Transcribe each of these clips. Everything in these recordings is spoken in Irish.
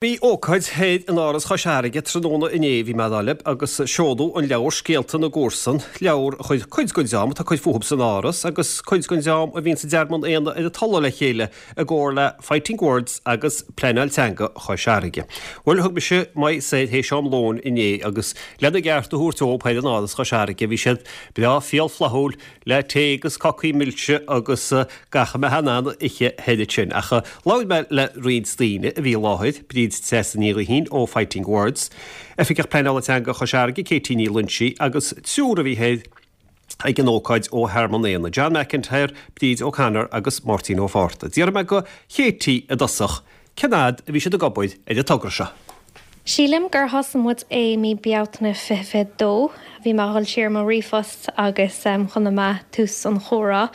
Bhí ócáid thoir in Áras Chois Fharraige tráthnóna inné, bhí mé ag dul libh, agus seoladh an leabhar Scéalta na gComharsan, leabhar a chuir cuid den dream atá ag cur fúthu san Áras agus cuid den dream a bhíonn sa dTearmann Éanna ar an talamh le chéile i gcomhar le Fighting Words agus Pleanáil Teanga Chois Fharraige. Bhuel, thug mise m'aghaidh soir théis am lóin inné agus lena gceart a thabhairt dóibh thoir in Áras Chois Fharraige, bhí siad breá fial flaithiúil le tae agus cácaí milse agus gach a mbeifeá in ann a ithe thoir ansin. Ach labhair mé le roinnt daoine a bhí i láthair, Bríd Treasa Ní Ghuithín ó Fighting Words, Oifigeach Pleanála Teanga Chois Fharraige, Katie Ní Loinsigh agus triúr a bhí thoir ag an ócáid ó Thearmann Éanna, John McIntyre, Bríd O'Connor agus Máirtín Ó Fátharta. D'fhiafraigh mé go Katie i dtosach cén fhad a bhí siad ag obair ar an togra seo. Sílim gur thosaigh muid é mí Bealtaine 2022. Bhí mé a dhul siar i mo ríomhphost agus chonaic mé tús an chomhrá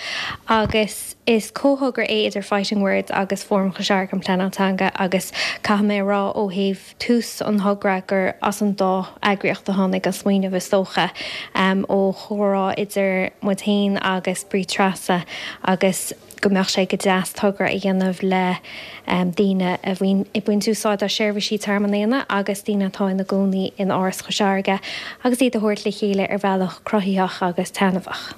agus is comhthogra é idir Fighting Words agus Fóram Chois Fharraige um Pleanáil Teanga agus caithfidh mé a rá ó thaobh tús an thogra gur as an dá eagraíocht a tháinig an smaoineamh is dócha, ó chomhrá idir muid féin agus Bríd Treasa agus. go mbeadh sé go deas togra a dhéanamh le daoine a bhíonn ag baint úsáid as seirbhísí Tearmann Éanna agus daoine atá ina gcónaí in Áras Chois Fharraige agus iad a thabhairt le chéile ar bhealach cruthaitheach agus taitneamhach.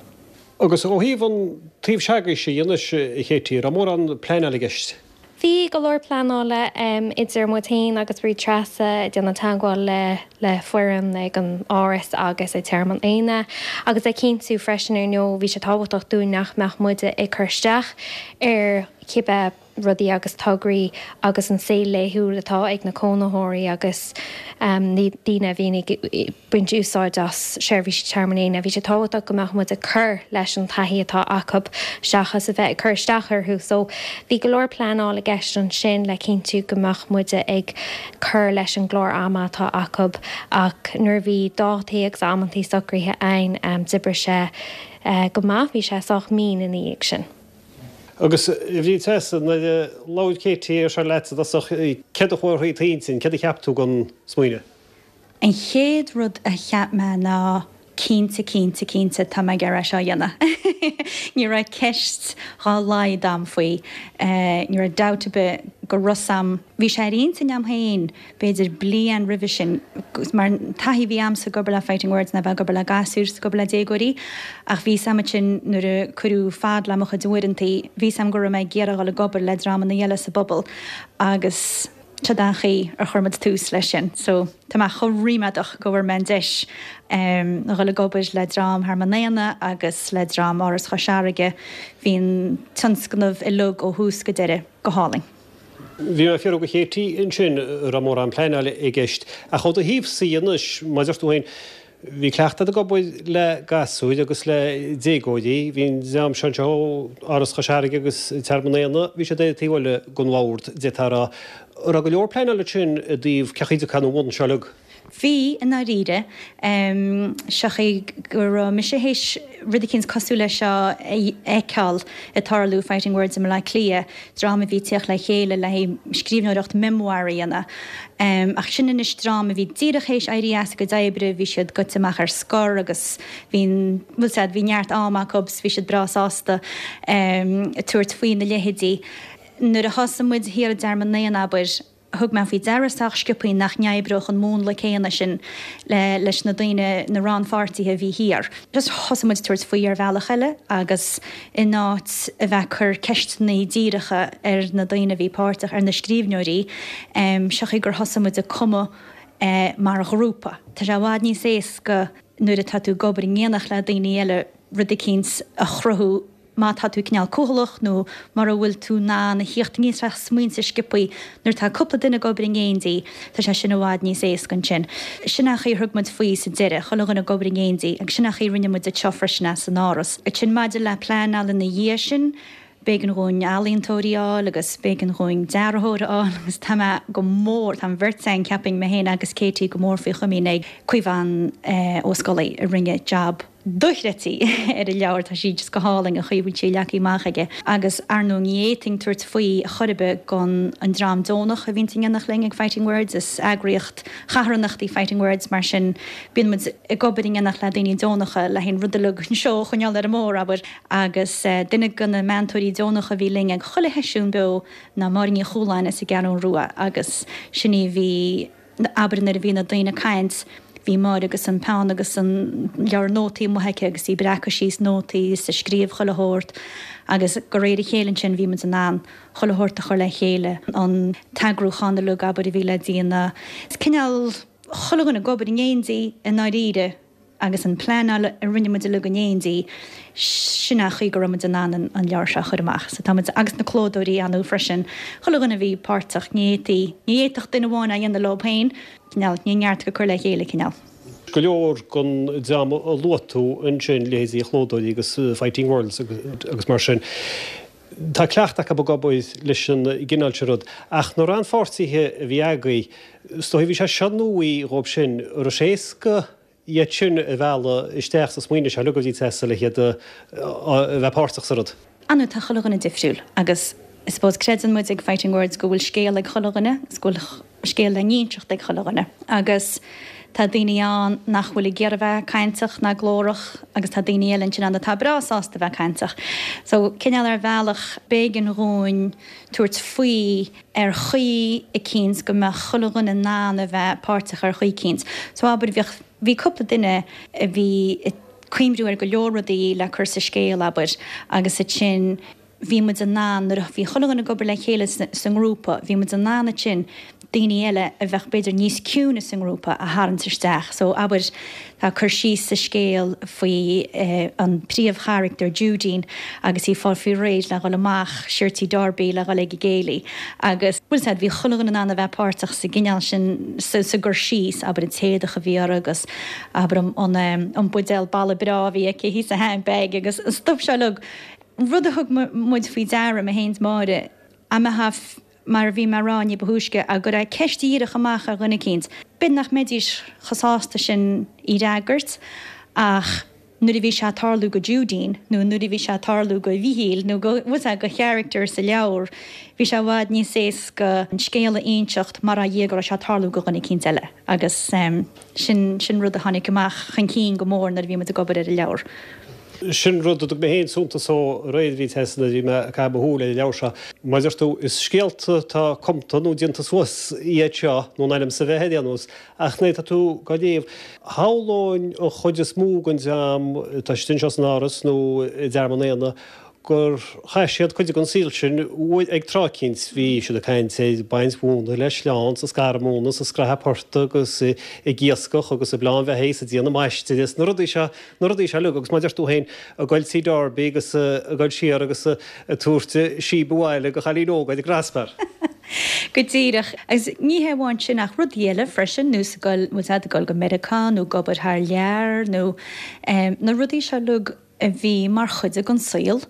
Agus ó thaobh an taobh s'agaibhse dhe anois, a Katie, raibh mórán pleanála i gceist? Bhí go leor pleanála idir muid féin agus Bríd Treasa ag déanamh teagmháil le le foireann ag an Áras agus ag Tearmann Éanna agus ag cinntiú freisin ar ndóigh bhí sé tábhachtach dúinn nach mbeadh muide ag cur isteach ar cibé rudaí agus tograí agus an saol laethúil atá ag na cónaitheoirí agus daoine a bhíonn ag baint úsáid as seirbhísí Tearmann Éanna. Bhí sé tábhachtach go mbeadh muid ag cur leis an taithí atá acu seachas a bheith ag cur isteach orthu. So bhí go leor pleanáil i gceist ansin le cinntiú go mbeadh muide ag cur leis an gclár ama atá acu ach nuair a bhí dátaí agus amantaí socraithe againn d'oibrigh sé go maith, bhí sé sách mín ina dhiaidh sin. Agus a Bhríd Treasa, nuair a labhair Katie air seo leat i dtosach, céard a chuaigh thrí d'intinn, céard a cheap tú den smaoineamh? An chéad rud a cheap mé ná cinnte, cinnte, cinnte tá mé ag iarraidh é seo a dhéanamh. Ní raibh ceist dhá laghad a'm faoi. Ní raibh dabht ar bith go raibh 's a'm. Bhí sé ar intinn a'm féin b'fhéidir bliain roimhe sin mar an taithí a bhí a'msa ag obair le Fighting Words ná bheith ag obair le gasúir is ag obair le déagóirí ach bhí 's a'm ansin nuair a cuireadh fad le mo chuid uaireantaí bhí 's a'm go raibh mé ag iarraidh dhul ag obair le dreamanna eile sa bpobal agus Siod an chaoi ar chuir muid tús leis sin. So, tá mé chomh ríméadach go bhfuair mé an deis a dhul ag obair le dream Thearmann Éanna agus le dream Áras Chois Fharraige. Bhí an tionscnamh uilig ó thús go deireadh go hálainn. Bhí mé ag fiafraí de Katie ansin, an raibh mórán pleanála i gceist. Ach ó do thaobhsa anois, mar a deir tú féin, Bhí cleachtadh ag obair le gasúir agus le déagóirí. Bhí an dream seo anseo ó Áras Chois Fharraige agus Tearmann Éanna, bhí siad ar an taobh eile den bhord, d'fhéadfá a rá. An raibh go leor pleanála ansin i dtaobh cén chaoi a dtiocfá ina bhun seo uilig? Bhí, i ndáiríre. Seo chaoi go raibh mise théis rud eicínt cosúil leis seo a fheiceáil ag tarlú, Fighting Words i mBleá Cliath, dream a bhí ag tíocht le chéile le haghaidh scríbhneoireacht memoir a dhéanamh. Ach sin anois dream a bhí díreach théis éirí as a gcuid oibre, bhí siad goite amach ar scor agus bhí an, bhfuil 's a'd, bhí neart ama acu 's bhí siad breá sásta tabhairt faoina leithéidí. Nuair a thosaigh muid thiar i dTearmann Éanna, abair, thug mé faoi deara sách sciobthaí nach n-oibreodh an múnla céanna sin leis na daoine, na rannpháirtithe a bhí thiar. Just thosaigh muid tabhairt faoi ar bhealach eile agus in áit a bheith ag cur ceisteanna díreacha ar na daoine a bhí páirteach, ar na scríbhneoirí, seo chaoi gur thosaigh muid ag cumadh mar ghrúpa. Tá sé i bhfad níos éasca nuair atá tú ag obair in éineacht le daoine eile rud eicínt a chruthú má tá tú cineál cúthaileach nó mura bhfuil tú in ann a thíocht aníos le smaointe sciobthaí, nuair atá cúpla duine ag obair in éindí, tá sé sin i bhfad níos éasca ansin. Sin an chaoi a thug muid faoi sa deireadh, chuile dhuine ag obair in éindí, agus sin an chaoi a rinne muid anseo freisin é san Áras. Ansin maidir le pleanáil ina dhiaidh sin, b'éigean dhúinn ealaíontóirí a fháil agus b'éigean dhúinn dearthóir a fháil agus tá mé go mór, tá an bheirt againn, cheapfainn, mé féin agus Katie, go mór faoi chomaoin ag Caomhán Ó Scolaí a rinne jab. dochreidte ar an leabhar, tá sí just go hálainn an chaoi a bhfuil sí leagtha amach aige. Agus ar ndóigh ní fhéadfainn tabhairt faoi chor ar bith gan an dream deonach a bhíonns in éineacht linn ag Fighting Words, is eagraíocht charthanachta í Fighting Words mar sin bíonn muid ag obair in éineacht le daoine deonacha le haon rud uilig anseo a choinneáil ar an mbóthar, abair. Agus duine de na meantóirí deonacha a bhí linn ag chuile sheisiún beo ná Máire Ní Chualáin as an gCeathrú Rua agus sin í a bhí, abair nuair a bhí na daoine ag caint, bhí Máire agus an peann agus an leabhar nótaí amuigh aici agus í ag breacadh síos nótaí is ag scríobh chuile shórt agus de réir a chéile ansin bhí muid in ann chuile shórt a chur le chéile, an t-eagrúchán uilig abair a bhí le déanamh. Is cineál chuile dhuine ag obair in éindí i ndáiríre. Agus an pleanáil a rinne muid uilig in éindí, sin an chaoi go raibh muid in ann an leabhar seo a chur amach. So tá muid, agus na clódóirí ar ndóigh freisin, chuile dhuine a bhí páirteach, ní fhéadfaí, ní fhéadfadh duine amháin é a dhéanamh leo féin, cineál, ní neart go cur le chéile, cineál. Go leor den dream a luaigh tú ansin, leithéidí clódóirí agus Fighting Words agus mar sin, tá cleachtadh acu ag obair leis an gcineál sin rud. Ach na rannpháirtithe a bhí agaibh, is dóigh bhí sé seo nua dhóibh sin, an raibh sé éasca iad sin a mhealladh isteach sa smaoineamh seo uilig a bhí ag teastáil le hiad a bheith páirteach sa rud. Ar ndóigh tá chuile dhuine difriúil agus I suppose creideann muid ag Fighting Words go bhfuil scéal ag chuile dhuine agus go bhfuil scéal le n-inseacht ag chuile dhuine agus tá daoine ann nach bhfuil ag iarraidh bheith cainteach ná glórach agus tá daoine eile ansin ann atá breá sásta bheith cainteach. So cineál ar bhealach b'éigean dhúinn tabhairt faoi ar chaoi eicínt go mbeadh chuile dhuine in ann a bheith páirteach ar chaoi eicínt. So abair bheadh, bhí cúpla duine a bhí ag cuimhniú ar go leor rudaí le cur sa scéal abair agus ansin bhí muid in ann nuair a bhí chuile dhuine ag obair le chéile sa ngrúpa bhí muid in ann ansin daoine eile a bheadh b'fhéidir níos ciúine sa ngrúpa a tharraingt isteach. So abair tá cur síos sa scéal faoi an príomhcharachtar Judeen agus í ag fáil faoi réir le dhul amach siar Tí Darby le dhul ag an gcéilí agus bhfuil 's a'd bhí chuile dhuine in ann a bheith páirteach sa gcineál sin sa gcur síos abair an t-éadach a bhí uirthi agus abair an an buidéal balbh breá a bhí aici thíos sa handbag agus an stuif seo uilig. Rud a thug muid faoi deara mé féin 's Máire a mbeadh Mar a bhí mé a rá ní ba thúisce, dá gcuirfeá ceist dhíreach amach ar dhuine eicínt, b'fhéidir nach mbeidís chomh sásta sin í fhreagairt, ach nuair a bhí sé ag tarlú go Judeen, nó nuair a bhí sé ag tarlú go Mhíchíl, nó go, bhfuil 's a'd, go character sa leabhar, bhí sé i bhfad níos éasca an scéal a inseacht mar a dhia go raibh sé ag tarlú go dhuine eicínt eile. Agus sin, sin rud a tháinig amach chun cinn go mór nuair a bhí muid ag obair ar an leabhar. Sin rud a dtug mé féin suntas dó aréir a bhí Tessa nuair a bhí mé ag caitheamh mo shúil ar an leabhar seo. Mar a deir tú, is scéalta atá cumta nó déanta suas iad seo, nó in ainm is a bheith ar aon nós, ach nuair atá tú á léamh, shamhlóinn an chuid is mó den dream atá istigh anseo san Áras nó i dTearmann Éanna gur chaith siad cuid den saol sin ag tráth eicínt. Bhí siad ag caint ar baint mhóna le sleán 's ag scaradh móna 's ag scrathadh portaigh agus ag iascach agus ag bleán beithígh 's ag déanamh maistire 's na rudaí seo na rudaí seo uilig agus mar a deir tú féin, ag goil tí Darby agus ag goil siar agus ag tabhairt síob abhaile go chailín óg ar an gcrosbar. Go díreach. Agus ní hé amháin sin ach rudaí eile freisin, nós ag goil, bhfuil 's a'd, ag goil go Meiriceá nó ag obair thar lear nó na rudaí seo uilig a bhí mar chuid den saol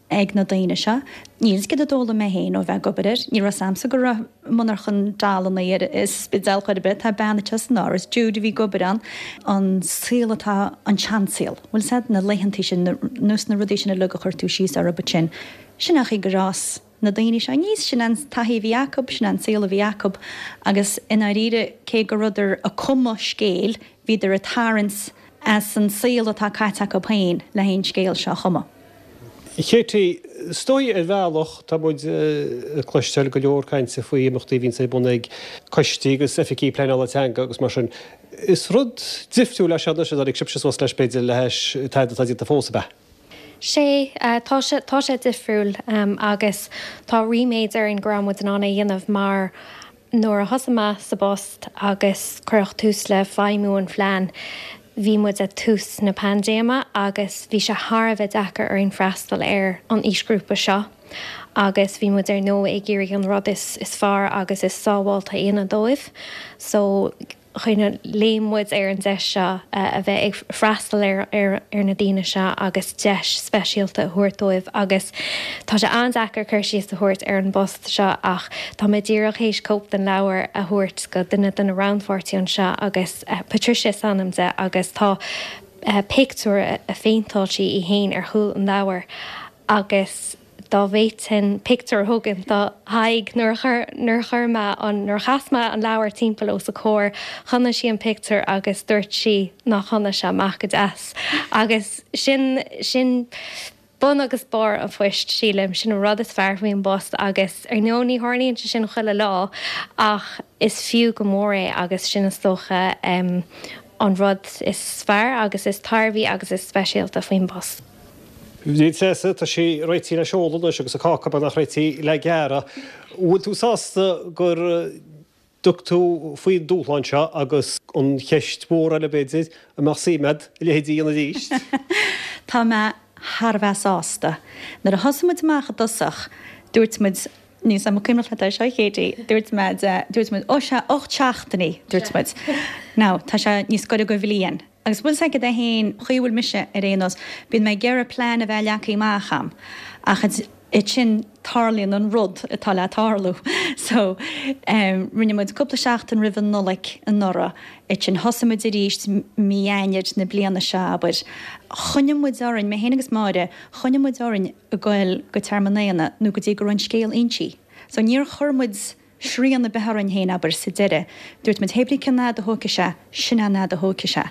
ag na daoine seo. Níl 'fhios céard a d'fhoghlaim mé féin ó bheith ag obair air. Ní raibh 's a'msa go raibh monarchan dollanna ar an Spidéal chor ar bith. Tá bean anseo san Áras, Jude, a bhí ag obair ann. An saol atá, an seansaol, bhfuil 's a'd, na laethantaí sin, nós na rudaí sin uilig a chuir tú síos orthu ansin. Sin an chaoi gur fhás na daoine seo aníos, sin an taithí a bhí acu, sin an saol a bhí acu agus i ndáiríre cé go rabhadar ag cumadh scéil, bhíodar ag tarraingt as an saol atá caite acu féin le haghaidh an scéal seo a chumadh. Katie, Is dóigh ar bhealach, tá muid ag cloisteáil go leor cainte faoi imeachtaí a bhíonns ar bun ag coistí agus oifigí pleanála teanga agus mar sin. Is rud difriúil é seo anois a dtáinig sibhse suas leis b'fhéidir le hais tada atá déanta fós, ab ea? Sea, tá sé, tá sé difriúil agus tá ríméad orainn go raibh muid in ann é a dhéanamh mar Nuair a thosaigh mé sa bpost agus cuireadh tús le feidhmiú an phlean, bhí muid ag tús na paindéime agus bhí sé thar a bheith deacair orainn freastal ar an aoisghrúpa seo agus bhí muid ar ndóigh ag iarraidh an rud is fearr agus is sábháilte a dhéanamh dóibh. So. kind of léim muid ar an deis seo a bheith ag freastal ar ar na daoine seo agus deis speisialta a thabhairt dóibh agus tá sé an-deacair cur síos a thabhairt ar an bpost seo ach tá mé díreach théis cóip den leabhar a thabhairt go duine de na rannpháirtithe anseo agus Patricia is ainm di agus tá. pictiúr a phéinteáil sí í fhéin ar chúl an leabhair agus dá bhféadfainn pictiúr a thógaint dá haghaidh nuair a chuir, nuair a chuir mé an, nuair a chas mé an leabhar timpeall os a comhair, chonaic sí an pictiúr agus dúirt sí nach chonaic sé amach go deas. Agus sin, sin bun agus barr an phoist, sílim. Sin an rud is fearr faoin bpost agus ar ndóigh ní tharlaíonn sé sin chuile lá ach is fiú go mór é agus sin is dócha an rud is fearr agus is tairbhí agus is speisialta faoin bpost. Bhríd Treasa, tá sí réitithe le seoladh anois agus an cáca beagnach réitithe le gearradh. Bhfuil tú sásta gur dtug tú faoin dúshlán seo agus an cheist mhór eile b'fhéidir, an mbeadh suim agat a leithéid a dhéanamh arís? Tá mé thar a bheith sásta. Nuair a thosaigh muid amach i dtosach, dúirt muid, níl 's a'm an cuimhneach leat é seo, a Katie, dúirt mé, dúirt muid, ó sea, 8 seachtainí, dúirt muid. Now, tá sé níos gaire go bhliain. Agus bhfuil 's agat é fhéin, chaoi a bhfuil mise ar aon nós, bíonn mé ag iarraidh plean a bheith leagtha amach a'm, ach ansin tarlaíonn an rud atá le tarlú. So, rinne muid cúpla seachtain roimh an Nollaig anuraidh, ansin thosaigh muid arís mí Eanáir na bliana seo, abair. Choinnigh muid orainn, mé fhéin agus Máire, choinnigh muid orainn ag goil go Tearmann Éanna nó go dtí go raibh an scéal insí. So níor chuir muid srian ar bith orainn féin, abair, sa deireadh. Dúirt muid, hé brí cén fhad a thógfaidh sé, sin an fhad a thógfaidh sé.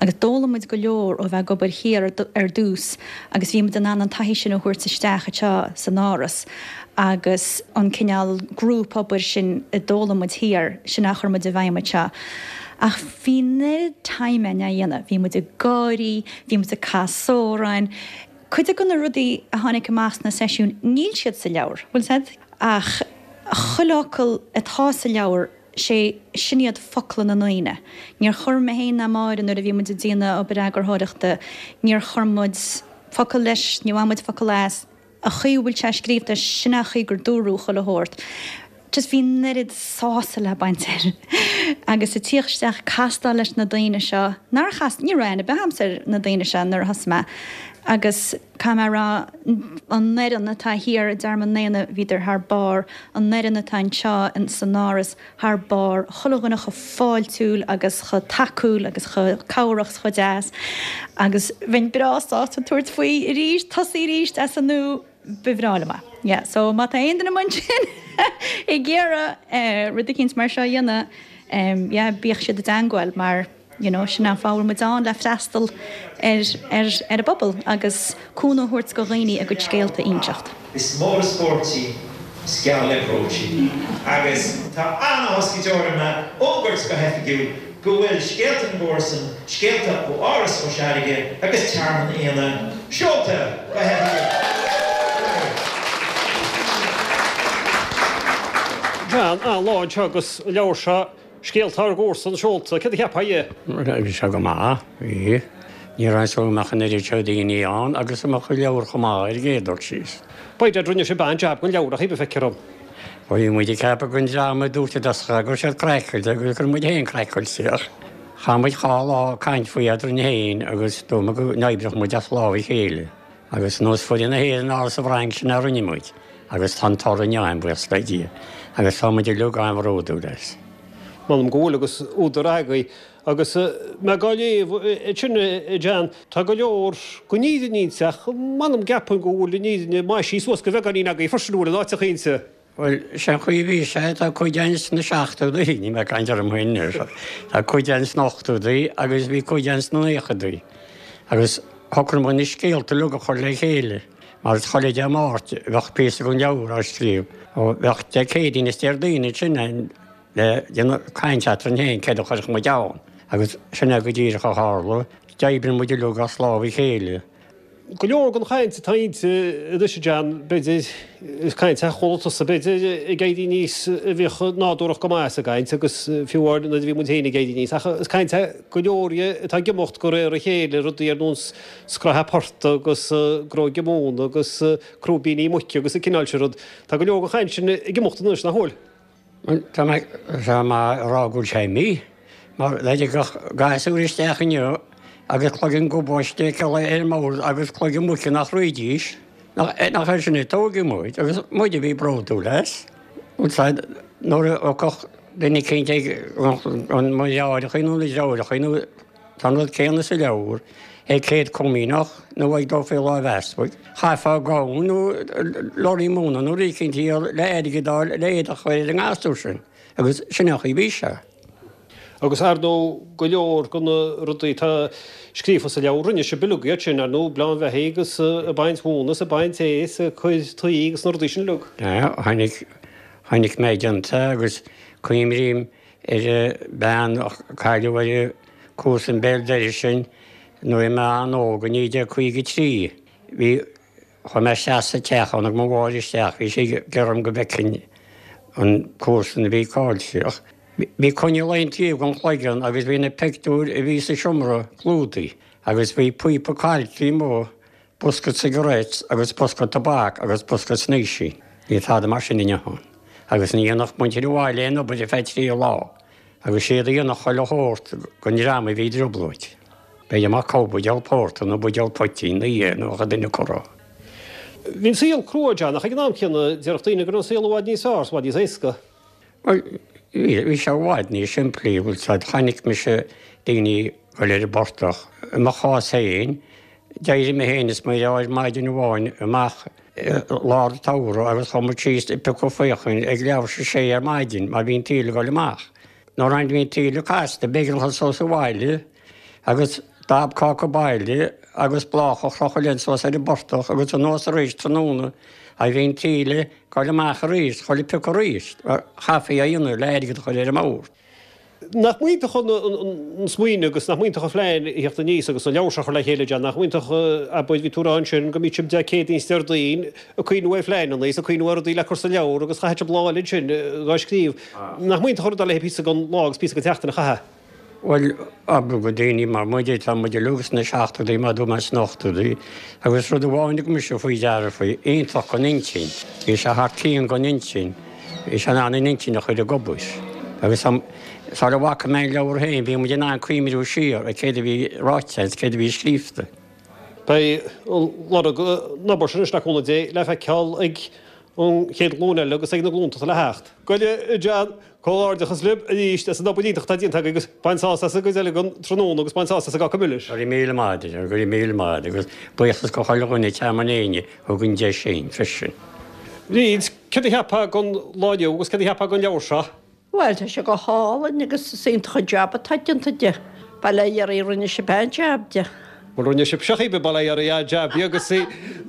Agus d'fhoghlaim muid go leor ó bheith ag obair thiar ar dtús agus bhí muid in ann an taithí sin a thabhairt isteach anseo san Áras agus an cineál grúpobair sin a d'fhoghlaim muid thiar, sin a chuir muid i bhfeidhm anseo. Ach bhí an oiread time againn á dhéanamh, bhí muid ag gáirí, bhí muid ag caitheamh amhráin. Cuid de na rudaí a tháinig amach sna seisiúin, níl siad sa leabhar, bhfuil 's a'd? Ach chuile fhocal atá sa leabhar, sé, sin iad focla na ndaoine. Níor chuir mé féin ná Máire nuair a bhí muid ag déanamh obair eagarthóireachta, níor chuir muid focal leis, níor bhain muid focal as. An chaoi a bhfuil sé scríobhta, sin an chaoi gur dúradh chuile shórt. Just bhí an oiread sásamh le baint air. Agus ag tíocht isteach, castáil leis na daoine seo, nár chas, ní raibh aithne ar bith a'msa ar na daoine seo nuair a thosaigh mé. Agus caithfidh mé a rá, an fhoireann atá thiar i dTearmann Éanna, bhíodar thar barr, an fhoireann atá anseo san Áras, thar barr, chuile dhuine chomh fáiltiúil agus chomh tacúil agus chomh cabhrach 's chomh deas. Agus bheinn breá sásta tabhairt faoi arís, tosaí arís as an nua. Ba bhreá liom é. Yeah, so má tá aon duine amuigh ansin ag iarraidh rud eicínt mar seo a dhéanamh, yeah, bíodh siad i dteangmháil mar, you know, sin an fáth a bhfuil muid ann, le freastal ar, ar, ar an bpobal agus cúnamh a thabhairt do dhaoine a gcuid scéalta a inseacht. Is mór is spórt í, is geall le brooch í. Agus tá an-áthas go deo orm a fhógairt go hoifigiúil go bhfuil Scéalta na gComharsan, scéalta ó Áras Chois Fharraige agus Tearmann Éanna, seolta go hoifigiúil! John, An-lá anseo agus an leabhar seo, Scéalta ár gComharsan, seolta. Céard a cheapfá dhe? Bhí sé go maith, bhí. Ní raibh a fhios agam go mbeadh an oiread seo daoine ann agus go mbeadh an leabhar chomh maith ar an gcéad dul síos. By dad, rinne sibh an-jab den leabhar, ach a feictear dom. Bhí muid ag ceapadh don dream a dúirt i dtosach go raibh siad craiceáilte agus go raibh muid féin craiceáilte ach chaith muid dhá lá ag caint faoi eadrainn féin agus dúirt muid go n-oibreodh muid as lámh a chéile agus nós foireann na hÉireann thall sa bhFrainc sin a rinne muid agus tá an toradh inniu ann, buíochas le Dia, agus tá muid uilig an-bhródúil as. M'anam go bhfuil agus údar agaibh. Agus mé dhá léamh ansin, a John, tá go leor den fhírinne inti ach m'anam gceapaim go bhfuil an fhírinne maisithe suas de bheagáinín agaibh freisin, an bhfuil in áiteacha inti? Bhuel, sé an chaoi a bhí sé, tá cuid againn sna seachtóidí, níl mé ag caint orm féin anois, tá cuid againn sna hochtóidí agus bhí cuid againn sna naochadaí. Agus shocraigh muid na scéalta uilig a chur le chéile, mar is chuile Dé Máirt bheadh píosa den leabhar á scríobh. Ó bheadh Dé Céadaoin is Déardaoin ansin le déanamh caint eadrainn féin céard a chuirfeadh muid ann. Agus sin é go díreach a tharla. D'oibrigh muid uilig as lámh a chéile. Go leor den chaint atá inti anois, a John, b'fhéidir, is caint a chuala tusa, b'fhéidir, ag éirí aníos a bhíodh nádúrach go maith sa gcaint agus fiú amháin nuair a bhí muid féin ag éirí aníos. Ach is caint é go leor dhe atá ag imeacht de réir a chéile, rudaí ar nós scraithe portaigh agus gróigeadh móna agus crúibíní muice agus an cineál sin rud. Tá go leor den chaint sin ag imeacht anois, nach bhfuil? Tá mé ag rá go bhfuil sé imithe, mar dá dtiocfadh gasúr isteach inniu agus cloigeann gobáiste acu ar an mbord agus cloigeann muice nach rithidís, nach air sin a tógadh muid agus muid a bhí bródúil as. Nuair a thiocfadh duine eicínt ag mo dheartháireacha nó na deirfiúracha nó. Tá an rud céanna sa leabhar ag Céad Comaoineach nó ag dul faoi láimh easpaig. Chaithfeá gamhain nó lorry móna nó rud éicint a dhíol le airgead a fháil le éadach a chur ar an ngasúr sin agus sin an chaoi a bhí sé. Agus ar ndóigh go leor de na rudaí atá scríofa sa leabhar, rinne sibh uilig iad sin, ar ndóigh, ag bleán bheithígh agus ag baint mhóna is ag baint ae is ag cur tuí agus na rudaí sin uilig. Tháinig, chonaic mé déanta agus cuimrím ar an bhean a cailleadh ar an comharsan béal dorais sin nuair a bhí mé an-óg i 1953. Bhí, chuaigh mé isteach sa teach, tháinig mo mháthair isteach, bhí sí ag iarraidh orm go bhfeicfinn an comharsan a bhí caillte. Ach bhí coinneal aon taobh den chloigeann agus bhí na pictiúir a bhí sa seomra clúdaithe agus bhí píopa cailce amuigh bosca cigarettes agus bosca tobac agus bosca snaoisín. Níl tada mar sin inniu ann. Agus ní dhéanfadh muintir an bhaile aon obair ar feadh 3 lá. Agus siad a dhéanfadh chuile shórt don dream a bhí i dtrioblóid. B'fhéidir amach cá buidéal pórta nó buidéal poitín nó é nó a bheadh duine curtha. Bhí an saol crua, John, ach ag an am céanna déarfadh daoine go raibh an saol i bhfad níos fearr is i bhfad níos éasca. Bhuel, bhí sé i bhfad níos simplí, bhfuil 's a'd, chonaic mise daoine dul ar an bportach. I mo chás féin, d'éirigh mé féin is mo dheartháir maidin amháin amach i lár an tsamhraidh agus chuaigh muid síos ag piocadh faochain ag leathuair tar éis a sé ar maidin mar bhí an taoille ag dul amach. Nuair a bhí an taoille casta, b'éigean dul suas abhaile agus dab cáca baile agus bláthach a chrochadh linn suas ar an bportach agus anuas arís tráthnóna a bhí an taoille ag dul amach arís, chuile piocadh arís, mar chaithfí é a dhéanamh le airgead a chur ar an mbord. Nach mb'iontach an smaoineamh agus nach mb'iontach an phlean a theacht aníos agus an leabhar seo a chur le chéile, John, nach mb'iontach, abair, bhí tú a rá ansin go mbíodh sibh Dé Céadaoin is Déardaoin ag cuimhniú ar phleananna is ag cuimhniú ar rudaí le cur sa leabhar agus chaithfeadh sibh lá eile ansin dhá scríobh. Nach mb'iontach an rud é le píosa den lá agus píosa den tseachtain a chaitheamh? Bhuel, abair go daoine mar muide, tá muid uilig sna seachtóidí, mar dúirt mé sna hochtóidí, agus rud amháin a thug mise faoi deara faoi, iontach don intinn, bhí sé thar cionn don intinn, bhí sé in ann an intinn a chur ag obair. Agus sara bhfaca mé an leabhar féin, bhí muid in ann cuimhniú siar ar céard a bhí ráite agus céard a bhí scríofa. Beidh lorg an obair sin anois le cúnamh Dé le feiceáil ag an chéad ghlúin eile agus ag na glúnta atá le theacht. Go John, Comhghairdeachas libh arís as an obair iontach atá déanta agaibh agus bain sásamh as an gcuid eile den tráthnóna agus bain sásamh as an gcáca milis. Go raibh míle maith agat, go raibh míle maith agat agus buíochas go chuile dhuine ag Tearmann Éinne a thug an deis sin freisin. Bríd, céard a cheapfá den lá inniu agus céard a cheapfá den leabhar seo? Bhuel, tá sé go hálainn agus is iontach an jab atá déanta de. Bail ó Dhia oraibh, rinne sibh an-jab de. Bhuel, rinne sibhse cibé, bail ó Dhia oraibh, an-jab de agus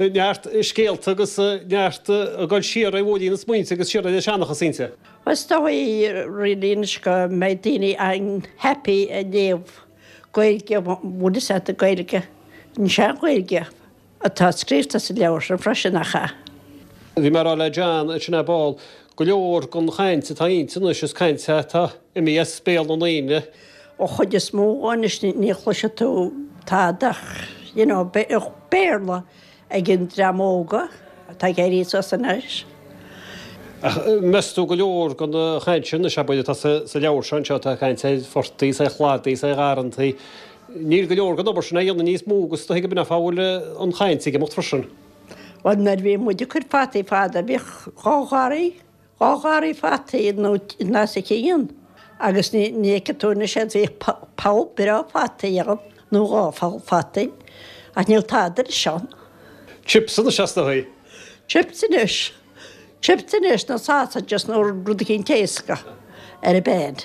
neart scéalta agus neart ag dul siar ar bhóithrín na smaointe agus siar ar an seanchas inti. Is dóigh really anois go mbeidh daoine an-happy ag léamh Gaeilge, bhfuil fhios agat, Gaeilge, an sean-Ghaeilge atá scríofa sa leabhar sin freisin, nach ea? Bhí mé ag rá le John ansin ar ball, go leor den chaint atá inti anois is caint atá imithe as béal na ndaoine. An chuid is mó anois ní chloisfidh tú tada ach you know Béarla ag an dream óga atá ag éirí suas anois. Ach meas tú go leor den chaint sin anois, abair, atá sa leabhar seo anseo, atá ag caint ar phortaigh is ar chladaí is ar gharrantaí, níl go leor den obair sin á dhéanamh níos mó agus is dóigh gurb in é an fáth a bhfuil an chaint ag imeacht freisin. Bhuel, nuair a bhí muid ag cur fataí fadó, bhíodh dhá gharraí, dhá gharraí fataí nó os a chionn agus ní fheicfidh tú anois iad, bhíodh poll breá fataí ann nó dhá pholl fataí ach níl tada anois ann. Chips anois is dóigh. Chips anois. Chips anois nó sausages nó rud eicínt éasca ar an bpan.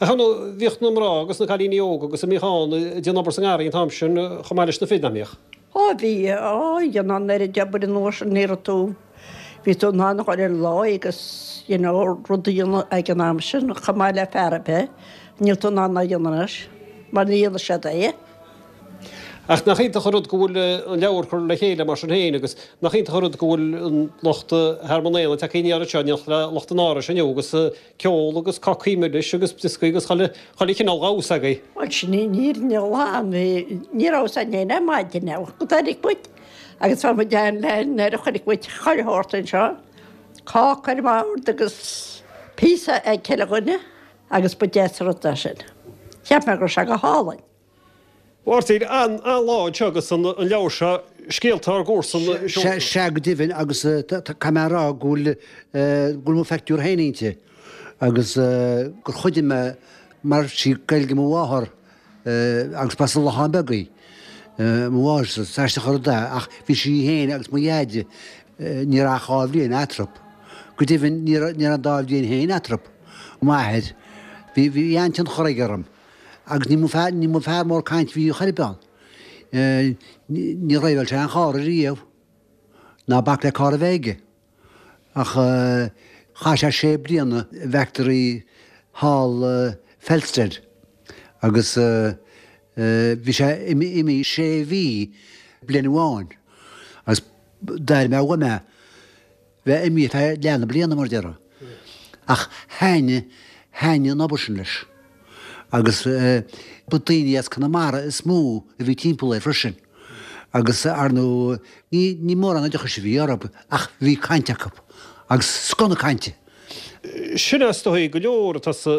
Ach ar ndóigh, bhíodh na mná agus na cailíní óga agus a mbíodh ann ag déanamh obair sa ngarraí an t-am sin chomh maith leis na fir, nach mbíodh? Ó bhí, ó dhéanamh an oiread obair an uair sin ní raibh tú, bhí tú in ann a dhul ar lá agus you know rud a dhéanamh ag an am sin chomh maith le fear ar bith, níl tú in ann a dhéanamh anois mar ní dhéanfaidh siad é. Ach nach iontach an rud go bhfuil an leabhar curtha le chéile mar sin féin agus nach iontach an rud go bhfuil an lucht Thearmann Éanna tagtha aniar anseo in éineacht le lucht an Árais inniu agus ceol agus cácaí milis agus brioscaí agus chuile chineál dhamhsa agaibh. Bhuel sin í an fhírinne ghlan, bhí, ní raibh fhios againn féin ar maidin go dtáinig muid agus bhí muid ann le nuair a chonaic muid chuile shórt anseo, cáca ar an mbord agus píosa ag chuile dhuine agus ba deas an rud é sin. Cheap mé go raibh sé go hálainn. Mháirtín, An-lá anseo agus an leabhar seo, Scéalta ár gComharsan, seolta. Sea go deimhin agus caithfidh mé a rá go bhfuil go bhfuil mo phictiúr féin inti agus gur chuidigh mé mar sí Gaeilge mo mháthar. Agus b'as an Lochán Beag í. Mo mháthair, is aisteach an rud é, ach bhí sí féin agus mo dheaide, ní raibh ach 2 bhliain eatarthu. Go deimhin, ní raibh an dá bhliain féin eatarthu. M'athair, bhí, bhí an-tionchar aige orm. Agus ní mba fear, ní mba fear mór cainte a bhí chor ar bith ann. Níor dhraibheáil sé aon charr ariamh, ná bac le carr a bheith aige. Ach chaith sé sé bliana i bhfactory thall Felsted agus bhí sé imithe sé mhí bliain amháin agus d'airigh mé uaim é bheith imithe feadh leath na bliana mar a déarfá. Ach thaitnigh, thaitnigh an obair sin leis agus ba daoine as Conamara is mó a bhí timpeall air freisin. Agus, ar ndóigh, ní mórán oideachais a bhí orthu ach bhí caint acu, agus scoth na cainte. Sin é is dóigh go leor atá sa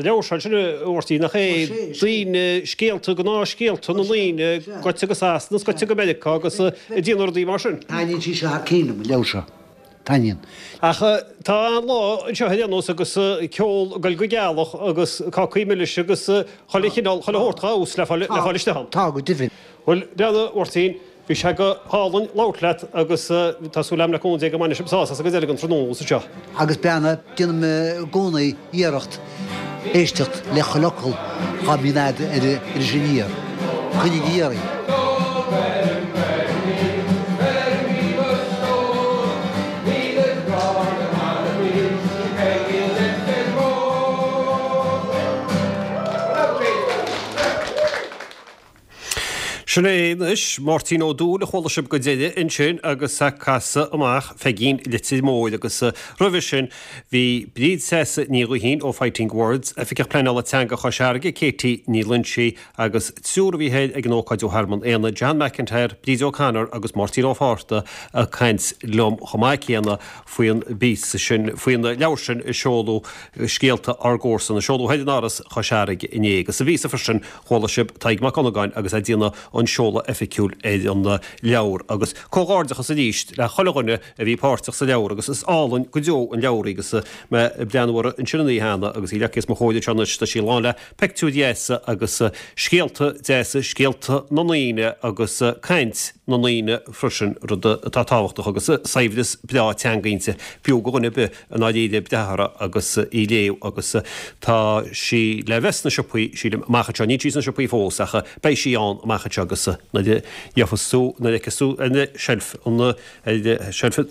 leabhar seo, sin a Mháirtín, nach é? Daoine, scéalta, gnáthscéalta na ndaoine, goite go Sasana is goite go Meiriceá agus ag déanamh rudaí mar sin. Taitníonn sí seo thar cinn liom, an leabhar seo. Taitníonn. Ach tá an-lá anseo ar aon nós agus ceol ag goil go gealach agus cácaí milis agus chuile chineál, chuile shórt dhá fheabhas le fáil istigh ann. Tá, go deimhin. Bhuel, a Mháirtín, bhí sé go hálainn labhairt leat agus tá súil agam le cúnamh Dé go mbainfidh sibh sásamh as go deireadh an tráthnóna anseo. Agus beanna, déanaim i gcónaí iarracht éisteacht le chuile fhocal dhá mbíonn a'd ar Iris Aniar. Coinnigí iarraidh. Sin é anois Máirtín Ó Dúill a chuala sibh go deireadh ansin agus ag casadh amach Pheigín Leitir Móir agus roimhe sin bhí Bríd Treasa Ní Ghuithín ó Fighting Words, Oifigeach Pleanála Teanga Chois Fharraige, Katie Ní Loinsigh agus triúr a bhí thoir ag an ócáid ó Thearmann Éanna, John McIntyre, Bríd O'Connor agus Máirtín Ó Fátharta ag caint liom chomh maith céanna faoin bpíosa sin, faoin leabhar sin a seoladh, Scéalta ár gComharsan, a seoladh thoir in Áras Chois Fharraige inné agus sa bpíosa freisin Chuala sibh Tadhg Mac Dhonnagáin agus é ag déanamh an seoladh oifigiúil ar an leabhar agus comhghairdeachas arís le chuile dhuine a bhí páirteach sa leabhar agus is álainn go deo an leabhar í agus mé ag breathnú uirthi ansin an oíche cheana agus í leagtha os mo chomhair anseo anois tá sí lán le peictiúir dheasa agus scéalta deasa, scéalta na ndaoine agus caint na ndaoine freisin, rud atá tábhachtach agus saibhreas breá teanga inti, b'fhiú go dhuine ar bith i ndáiríre breathnú uirthi agus í a léamh agus tá sí le bheith sna siopaí, sílim, amach anseo. Níl sí sna siopaí fós ach beidh sí ann amach anseo agus nuair a gheofas tú, nuair a fheicfeas tú ar na seilf, ar seilf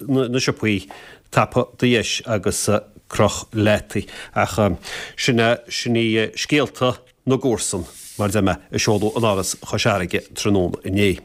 na siopaí, tapaigh do dheis agus croch leat í. Ach sin é, sin í Scéalta na gComharsan, mar a deir mé, a seoladh in Áras Chois Fharraige tráthnóna inné.